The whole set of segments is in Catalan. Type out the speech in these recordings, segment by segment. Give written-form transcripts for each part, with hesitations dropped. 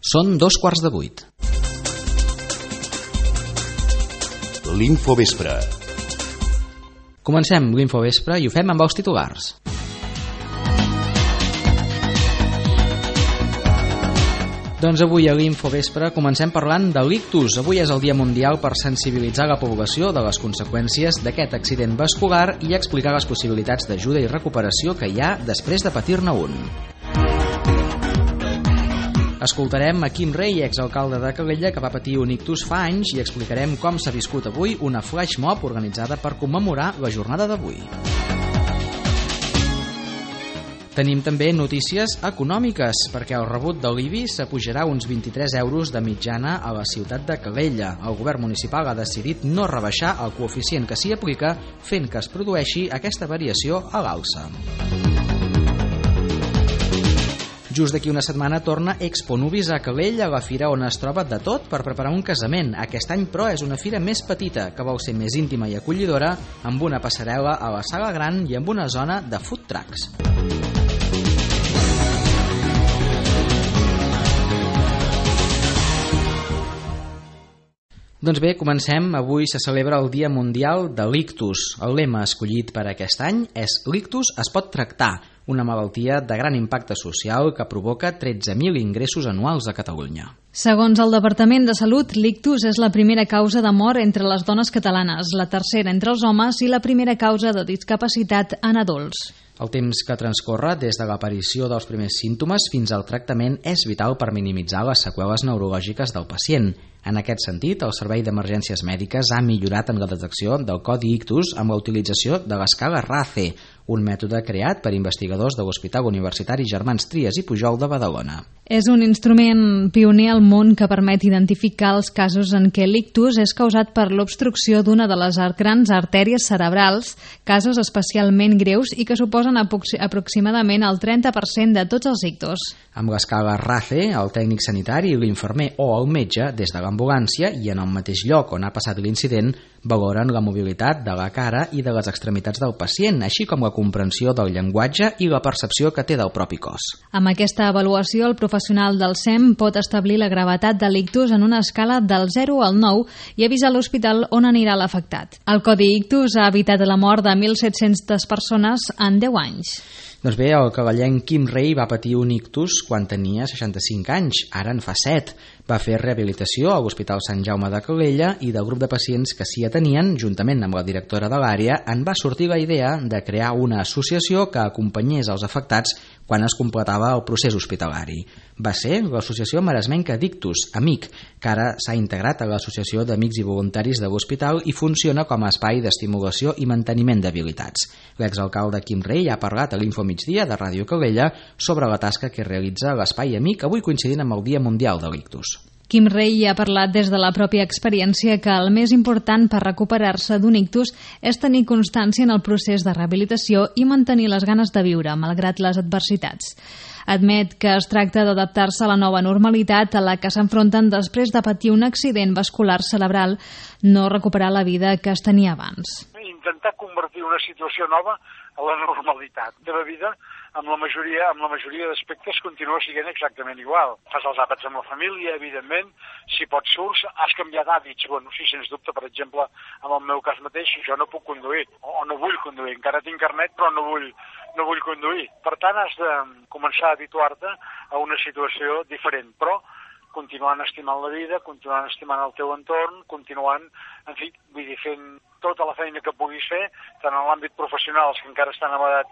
Són 7:15. L'Infovespre. Comencem l'Infovespre i ho fem amb els titulars. Doncs avui a l'Infovespre comencem parlant de l'ictus. Avui és el Dia Mundial per sensibilitzar la població de les conseqüències d'aquest accident vascular i explicar les possibilitats d'ajuda i recuperació que hi ha després de patir-ne un. Escoltarem a Quim Rei, exalcalde de Calella, que va patir un ictus fa anys, i explicarem com s'ha viscut avui una flash mob organitzada per commemorar la jornada d'avui. Tenim també notícies econòmiques, perquè el rebut de l'IBI s'apujarà uns 23 euros de mitjana a la ciutat de Calella. El govern municipal ha decidit no rebaixar el coeficient que s'hi aplica, fent que es produeixi aquesta variació a l'alça. Just d'aquí una setmana torna Expo Nuvis a Calella, la fira on es troba de tot per preparar un casament. Aquest any, però, és una fira més petita, que vol ser més íntima i acollidora, amb una passarel·la a la sala gran i amb una zona de food trucks. Doncs bé, comencem. Avui se celebra el Dia Mundial de l'Ictus. El lema escollit per aquest any és «L'ictus es pot tractar», una malaltia de gran impacte social que provoca 13.000 ingressos anuals a Catalunya. Segons el Departament de Salut, l'ictus és la primera causa de mort entre les dones catalanes, la tercera entre els homes i la primera causa de discapacitat en adults. El temps que transcorre des de l'aparició dels primers símptomes fins al tractament és vital per minimitzar les seqüeles neurològiques del pacient. En aquest sentit, el Servei d'Emergències Mèdiques ha millorat en la detecció del codi ictus amb la utilització de l'escala RACE, un mètode creat per investigadors de l'Hospital Universitari Germans Trias i Pujol de Badalona. És un instrument pioner al món que permet identificar els casos en què l'ictus és causat per l'obstrucció d'una de les grans artèries cerebrals, casos especialment greus i que suposen aproximadament el 30% de tots els ictus. Amb l'escala RACE, el tècnic sanitari, l'infermer o el metge, des de l'ambulància i en el mateix lloc on ha passat l'incident, valoren la mobilitat de la cara i de les extremitats del pacient, així com la comprensió del llenguatge i la percepció que té del propi cos. Amb aquesta avaluació, el professional del SEM pot establir la gravetat de l'ictus en una escala del 0 al 9 i avisar l'hospital on anirà l'afectat. El codi ictus ha evitat la mort de 1.700 persones en 10 anys. Doncs bé, el calellenc Quim Rei va patir un ictus quan tenia 65 anys, ara en fa 7. Va fer rehabilitació a l'Hospital Sant Jaume de Calella i del grup de pacients que s'hi atenien, juntament amb la directora de l'àrea, en va sortir la idea de crear una associació que acompanyés els afectats quan es completava el procés hospitalari. Va ser l'Associació Maresmenca d'Ictus, AMIC, que ara s'ha integrat a l'Associació d'Amics i Voluntaris de l'Hospital i funciona com a espai d'estimulació i manteniment d'habilitats. L'exalcalde Quim Rei ha parlat a l'Info Migdia de Ràdio Calella sobre la tasca que realitza l'espai AMIC, avui coincidint amb el Dia Mundial de l'Ictus. Quim Rei ha parlat des de la pròpia experiència que el més important per recuperar-se d'un ictus és tenir constància en el procés de rehabilitació i mantenir les ganes de viure, malgrat les adversitats. Admet que es tracta d'adaptar-se a la nova normalitat a la que s'enfronten després de patir un accident vascular cerebral, no recuperar la vida que es tenia abans. Intentar convertir una situació nova a la normalitat. La teva vida, amb la majoria d'aspectes, continua sent exactament igual. Fas els àpats amb la família, evidentment, si pots surts, has canviat d'hàbits. Bueno, sí, sens dubte, per exemple, en el meu cas mateix, jo no puc conduir, o no vull conduir. Encara tinc carnet, però no vull conduir. Per tant, has de començar a habituar-te a una situació diferent, però continuant estimant la vida, continuant estimant el teu entorn, continuant, en fi, vull dir, fent tota la feina que puguis fer, tant en l'àmbit professional, els que encara estan en edat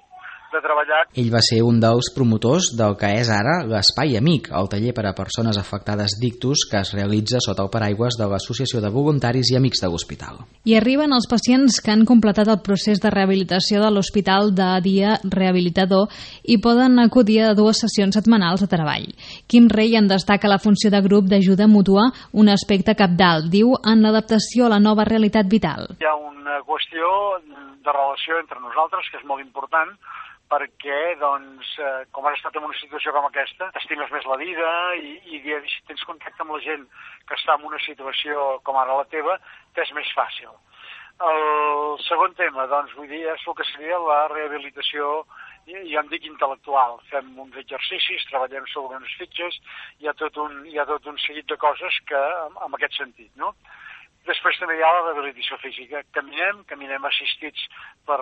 de treballar. Ell va ser un dels promotors del que és ara l'Espai Amic, el taller per a persones afectades d'ictus que es realitza sota el paraigües de l'Associació de Voluntaris i Amics de l'Hospital. I arriben els pacients que han completat el procés de rehabilitació de l'Hospital de Dia Rehabilitador i poden acudir a 2 sessions setmanals de treball. Quim Rei en destaca la funció de grup d'ajuda mútua, un aspecte cabdal, diu, en l'adaptació a la nova realitat vital. Hi ha una qüestió de relació entre nosaltres que és molt important, perquè, doncs, com has estat en una situació com aquesta, t'estimes més la vida i si tens contacte amb la gent que està en una situació com ara la teva, t'és més fàcil. El segon tema, doncs, vull dir, és el que seria la rehabilitació jo en dic intel·lectual, fem uns exercicis, treballem sobre unes fitxes, hi ha tot un seguit de coses que, en aquest sentit, no? Després també hi ha la rehabilitació física. Caminem assistits per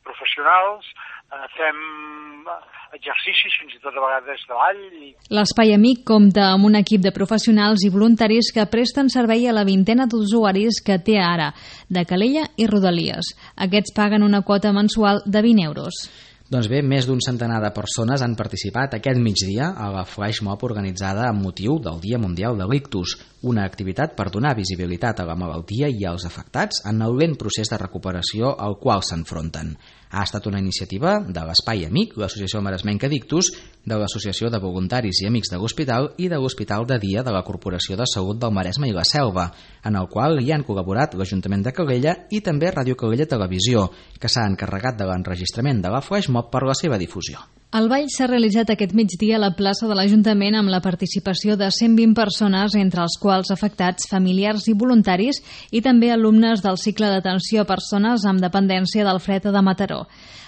professionals, fem exercicis, fins i tot a vegades de ball. L'Espai Amic compta amb un equip de professionals i voluntaris que presten servei a la vintena d'usuaris que té ara, de Calella i Rodalies. Aquests paguen una quota mensual de 20 euros. Doncs bé, més d'un centenar de persones han participat aquest migdia a la flash mob organitzada amb motiu del Dia Mundial de l'Ictus, una activitat per donar visibilitat a la malaltia i als afectats en el lent procés de recuperació al qual s'enfronten. Ha estat una iniciativa de l'Espai Amic, l'Associació Maresmenca d'Ictus, de l'Associació de Voluntaris i Amics de l'Hospital i de l'Hospital de Dia de la Corporació de Salut del Maresme i la Selva, en el qual hi han col·laborat l'Ajuntament de Calella i també Ràdio Calella Televisió, que s'ha encarregat de l'enregistrament de la flash mob per la seva difusió. El ball s'ha realitzat aquest migdia a la plaça de l'Ajuntament amb la participació de 120 persones, entre els quals afectats, familiars i voluntaris, i també alumnes del cicle d'atenció a persones amb dependència del Fred de Mataró.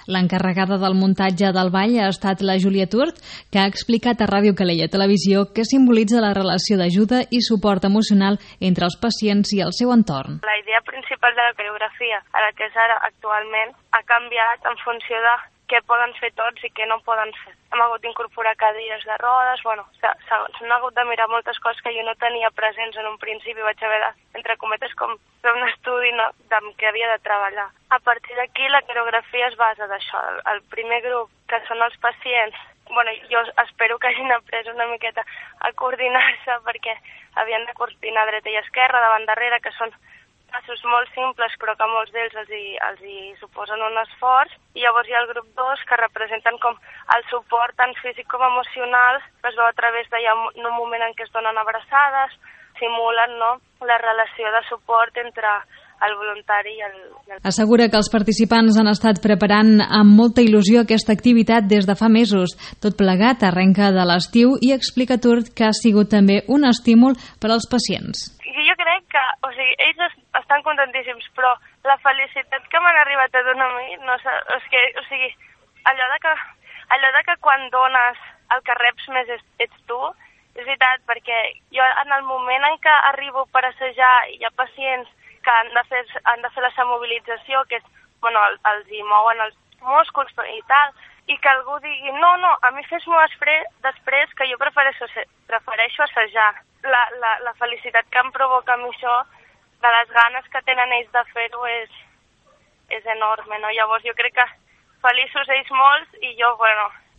L'encarregada del muntatge del ball ha estat la Júlia Turt, que ha explicat a Ràdio Calella Televisió que simbolitza la relació d'ajuda i suport emocional entre els pacients i el seu entorn. La idea principal de la coreografia, a la que és ara actualment, ha canviat en funció de què poden fer tots i què no poden fer. Hem hagut d'incorporar cadires de rodes, s'han hagut de mirar moltes coses que jo no tenia presents en un principi, vaig haver de, entre cometes, com fer un estudi de què havia de treballar. A partir d'aquí la coreografia es basa d'això. El primer grup, que són els pacients, jo espero que hagin après una miqueta a coordinar-se perquè havien de coordinar dreta i esquerra, davant darrere, que són passos molt simples però que molts d'ells els hi suposen un esforç, i llavors hi ha el grup 2 que representen com el suport tant físic com emocional, que es veu a través d'un moment en què es donen abraçades, simulen la relació de suport entre el voluntari i el... Assegura que els participants han estat preparant amb molta il·lusió aquesta activitat des de fa mesos. Tot plegat arrenca de l'estiu i explica Turt que ha sigut també un estímul per als pacients. Jo crec que, ells estan contentíssims, però la felicitat que m'han arribat a donar a mi, allò de que quan dones el que reps més ets tu, és veritat, perquè jo en el moment en què arribo per assajar i hi ha pacients que han de fer la semobilització, que és, els hi mouen els músculs i tal, i que algú digui, no, a mi fes-m'ho després, que jo prefereixo assajar. La felicitat que em provoca a mi això, de les ganes que tenen ells de fer-ho, és enorme, no? Llavors jo crec que feliços ells molts i jo,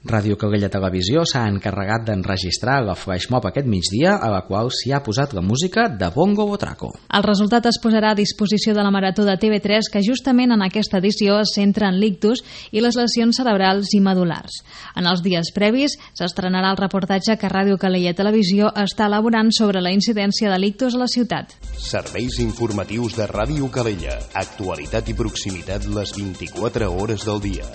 Ràdio Calella Televisió s'ha encarregat d'enregistrar la flash mob aquest migdia, a la qual s'hi ha posat la música de Bongo Botraco. El resultat es posarà a disposició de la Marató de TV3, que justament en aquesta edició es centra en l'ictus i les lesions cerebrals i medulars. En els dies previs s'estrenarà el reportatge que Ràdio Calella Televisió està elaborant sobre la incidència de l'ictus a la ciutat. Serveis informatius de Ràdio Calella. Actualitat i proximitat les 24 hores del dia.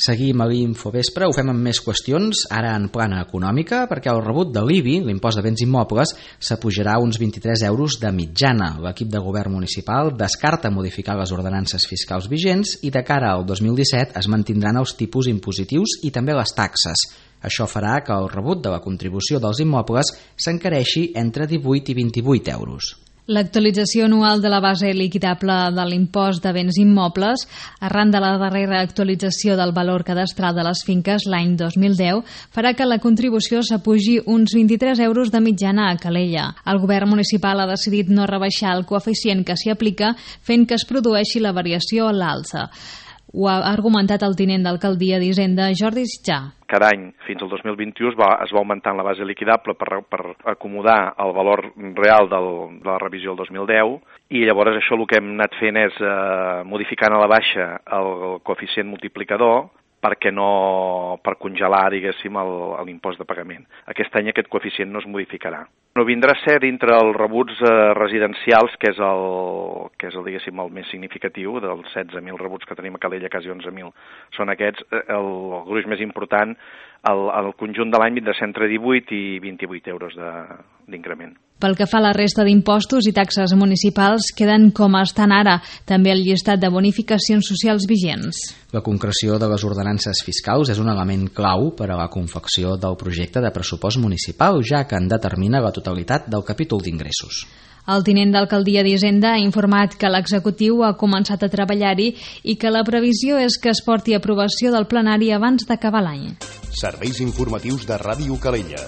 Seguim a l'Infovespre, ho fem amb més qüestions, ara en plana econòmica, perquè el rebut de l'IBI, l'impost de béns immobles, s'apujarà uns 23 euros de mitjana. L'equip de govern municipal descarta modificar les ordenances fiscals vigents i de cara al 2017 es mantindran els tipus impositius i també les taxes. Això farà que el rebut de la contribució dels immobles s'encareixi entre 18 i 28 euros. L'actualització anual de la base liquidable de l'impost de béns immobles, arran de la darrera actualització del valor cadastral de les finques l'any 2010, farà que la contribució s'apugi uns 23 euros de mitjana a Calella. El govern municipal ha decidit no rebaixar el coeficient que s'hi aplica, fent que es produeixi la variació a l'alça. Ho ha argumentat el tinent d'alcaldia d'Hisenda, Jordi Sitjà. Cada any, fins al 2021, es va augmentant la base liquidable per acomodar el valor real de la revisió del 2010, i llavors això el que hem anat fent és modificant a la baixa el coeficient multiplicador per congelar, diguéssim, l'impost de pagament. Aquest any aquest coeficient no es modificarà. No vindrà a ser dintre els rebuts residencials, que és diguéssim, el més significatiu, dels 16.000 rebuts que tenim a Calella, quasi 11.000 són aquests. El gruix més important el conjunt de l'any vindrà entre 18 i 28 euros d'increment. Pel que fa a la resta d'impostos i taxes municipals, queden com estan ara, també el llistat de bonificacions socials vigents. La concreció de les ordenances fiscals és un element clau per a la confecció del projecte de pressupost municipal, ja que en determina la totalitat del capítol d'ingressos. El tinent d'alcaldia d'Hisenda ha informat que l'executiu ha començat a treballar-hi i que la previsió és que es porti a aprovació del plenari abans d'acabar l'any. Serveis informatius de Ràdio Calella.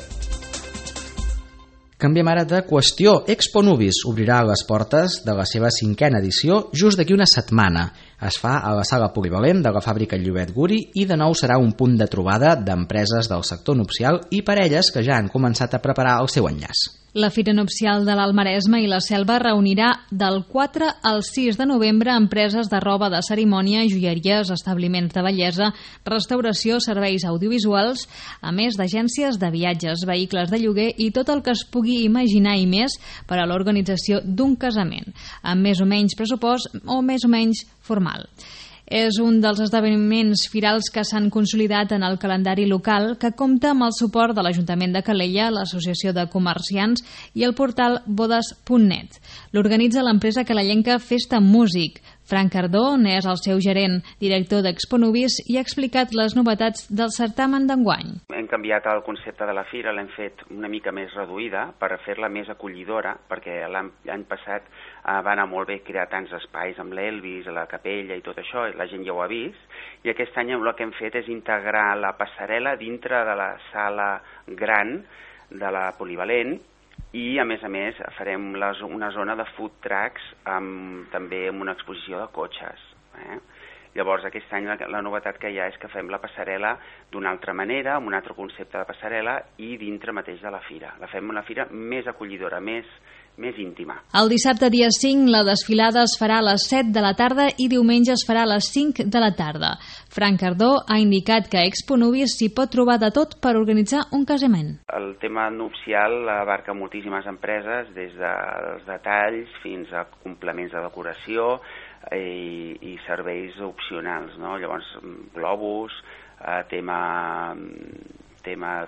Canviem ara de qüestió. Expo Nubis obrirà les portes de la seva 5a edició just d'aquí una setmana. Es fa a la sala polivalent de la fàbrica Llobet Guri i de nou serà un punt de trobada d'empreses del sector nupcial i parelles que ja han començat a preparar el seu enllaç. La Fira Nupcial de l'Alt Maresme i la Selva reunirà del 4 al 6 de novembre empreses de roba de cerimònia, joieries, establiments de bellesa, restauració, serveis audiovisuals, a més d'agències de viatges, vehicles de lloguer i tot el que es pugui imaginar i més per a l'organització d'un casament, amb més o menys pressupost o més o menys formal. És un dels esdeveniments firals que s'han consolidat en el calendari local, que compta amb el suport de l'Ajuntament de Calella, l'Associació de Comerciants i el portal bodes.net. L'organitza l'empresa calellenca Festa Músic. Frank Cardó n'és el seu gerent, director d'Expo Nubis, i ha explicat les novetats del certamen d'enguany. Hem canviat el concepte de la fira, l'hem fet una mica més reduïda per fer-la més acollidora, perquè l'any passat va anar molt bé crear tants espais amb l'Elvis, la capella i tot això, i la gent ja ho ha vist, i aquest any el que hem fet és integrar la passarel·la dintre de la sala gran de la polivalent, i a més farem una zona de food trucks també amb una exposició de cotxes. Llavors aquest any la novetat que hi ha és que fem la passarel·la d'una altra manera, amb un altre concepte de passarel·la i dintre mateix de la fira. La fem una fira més acollidora, més íntima. El dissabte dia 5 la desfilada es farà a les 7 de la tarda i diumenge es farà a les 5 de la tarda. Frank Cardó ha indicat que a Expo Nubis s'hi pot trobar de tot per organitzar un casament. El tema nupcial abarca moltíssimes empreses, des dels detalls fins a complements de decoració i serveis opcionals, no? Llavors, globus, tema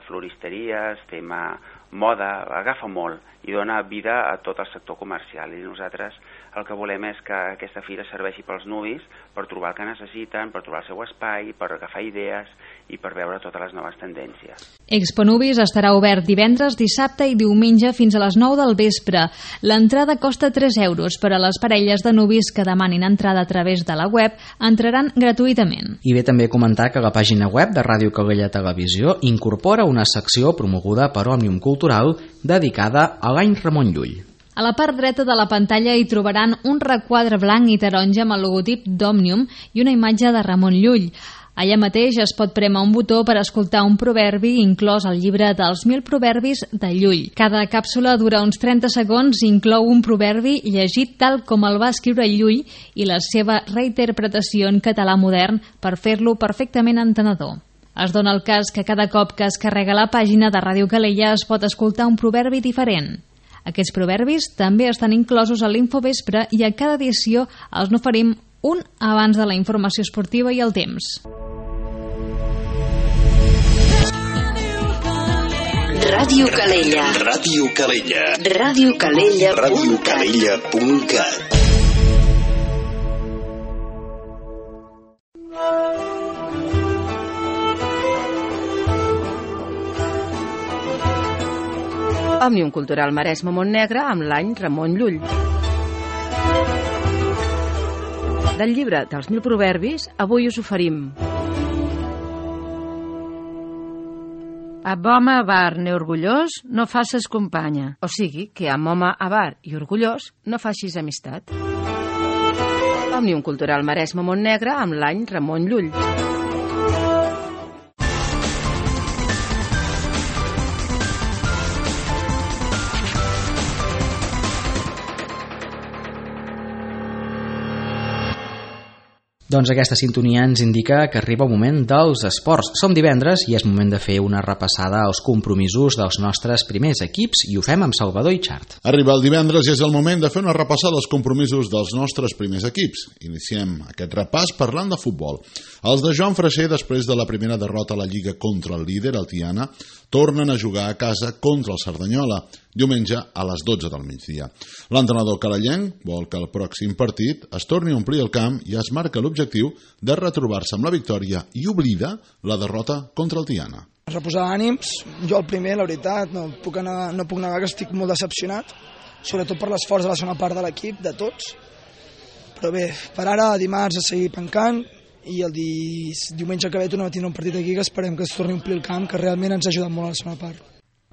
floristeries, tema moda, agafa molt i dona vida a tot el sector comercial, i nosaltres el que volem és que aquesta fira serveixi pels nubis per trobar el que necessiten, per trobar el seu espai, per agafar idees i per veure totes les noves tendències. Expo Nubis estarà obert divendres, dissabte i diumenge fins a les 9 del vespre. L'entrada costa 3 euros, però les parelles de nubis que demanin entrada a través de la web entraran gratuïtament. I bé també comentar que la pàgina web de Ràdio Calella Televisió incorpora una secció promoguda per Òmnium Cultural dedicada a l'any Ramon Llull. A la part dreta de la pantalla hi trobaran un requadre blanc i taronja amb el logotip d'Òmnium i una imatge de Ramon Llull. Allà mateix es pot prémer un botó per escoltar un proverbi inclòs al llibre dels 1000 proverbis de Llull. Cada càpsula dura uns 30 segons i inclou un proverbi llegit tal com el va escriure Llull i la seva reinterpretació en català modern per fer-lo perfectament entenedor. Es dona el cas que cada cop que es carrega la pàgina de Ràdio Calella es pot escoltar un proverbi diferent. Aquests proverbis també estan inclosos a l'Infovespre i a cada edició els n'oferim un abans de la informació esportiva i el temps. Ràdio Calella. Ràdio Calella. radiocalella.cat. radiocalella.cat. Òmnium Cultural Maresme Montnegre amb l'any Ramon Llull. Del llibre dels 1000 proverbis, avui us oferim Amb home avar ni orgullós no faces companya. O sigui, que amb home avar i orgullós no facis amistat. Òmnium Cultural Maresme Montnegre amb l'any Ramon Llull. Doncs aquesta sintonia ens indica que arriba el moment dels esports. Som divendres i és moment de fer una repassada als compromisos dels nostres primers equips i ho fem amb Salvador Itxart. Arriba el divendres i és el moment de fer una repassada als compromisos dels nostres primers equips. Iniciem aquest repàs parlant de futbol. Els de Joan Freixer, després de la primera derrota a la Lliga contra el líder, el Tiana, tornen a jugar a casa contra el Cerdanyola, diumenge a les 12 del migdia. L'entrenador calellenc vol que el pròxim partit es torni a omplir el camp i es marca l'objectiu de retrobar-se amb la victòria i oblida la derrota contra el Tiana. Reposar ànims, jo el primer, la veritat, no puc negar que estic molt decepcionat, sobretot per l'esforç de la segona part de l'equip, de tots. Però bé, per ara, dimarts a seguir pencant, i el diumenge que ve tornem a tindre un partit aquí que esperem que es torni a omplir el camp, que realment ens ha ajudat molt a la segona part.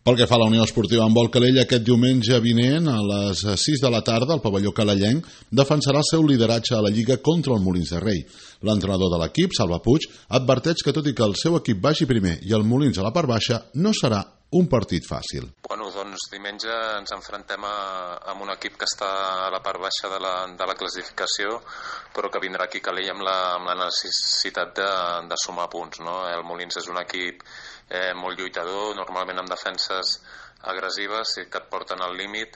Pel que fa a la Unió Esportiva Handbol Calella, aquest diumenge vinent a les 6 de la tarda el pavelló calellenc defensarà el seu lideratge a la Lliga contra el Molins de Rei. L'entrenador de l'equip, Salva Puig, adverteix que tot i que el seu equip vagi primer i el Molins a la part baixa, no serà un partit fàcil. Bueno, doncs diumenge ens enfrontem amb un equip que està a la part baixa de la classificació, però que vindrà aquí a Calella amb la necessitat de sumar punts, no? El Molins és un equip molt lluitador, normalment amb defenses agressives que et porten al límit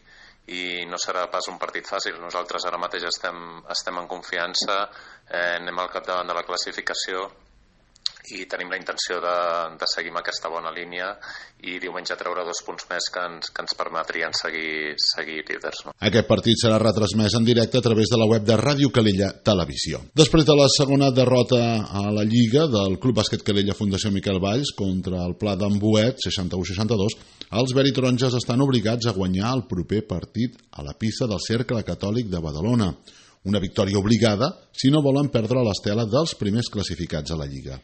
i no serà pas un partit fàcil. Nosaltres ara mateix estem en confiança, anem al capdavant de la classificació i tenim la intenció de seguir amb aquesta bona línia i diumenge treure 2 punts més que ens permetrien seguir líders. No? Aquest partit serà retransmès en directe a través de la web de Ràdio Calella Televisió. Després de la segona derrota a la Lliga del Club Bàsquet Calella Fundació Miquel Valls contra el Pla d'Embuet, 61-62, els veritaronges estan obligats a guanyar el proper partit a la pista del Cercle Catòlic de Badalona. Una victòria obligada si no volen perdre l'estela dels primers classificats a la Lliga.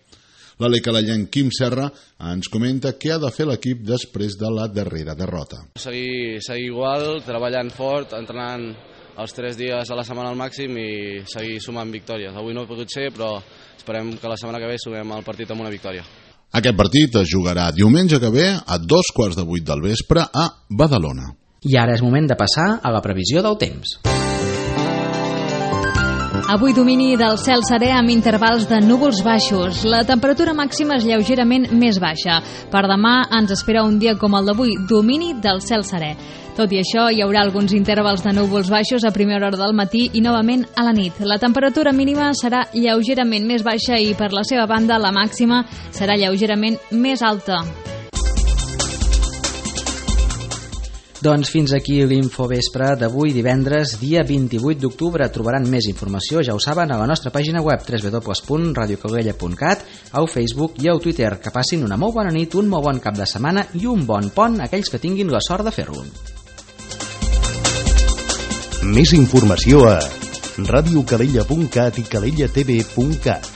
L'alè calellenc Quim Serra ens comenta què ha de fer l'equip després de la darrera derrota. Seguir igual, treballant fort, entrenant els 3 dies a la setmana al màxim i seguir sumant victòries. Avui no ha pogut ser, però esperem que la setmana que ve sumem el partit amb una victòria. Aquest partit es jugarà diumenge que ve a 7:15 del vespre a Badalona. I ara és moment de passar a la previsió del temps. Avui domini del cel serè amb intervals de núvols baixos. La temperatura màxima és lleugerament més baixa. Per demà ens espera un dia com el d'avui, domini del cel serè. Tot i això, hi haurà alguns intervals de núvols baixos a primera hora del matí i novament a la nit. La temperatura mínima serà lleugerament més baixa i per la seva banda la màxima serà lleugerament més alta. Doncs fins aquí l'Infovespre d'avui divendres, dia 28 d'octubre. Trobaran més informació, ja ho saben, a la nostra pàgina web www.radiocalella.cat, au Facebook i au Twitter. Que passin una molt bona nit, un molt bon cap de setmana i un bon pont a aquells que tinguin la sort de fer-lo. Més informació a radiocalella.cat i cadellatv.cat.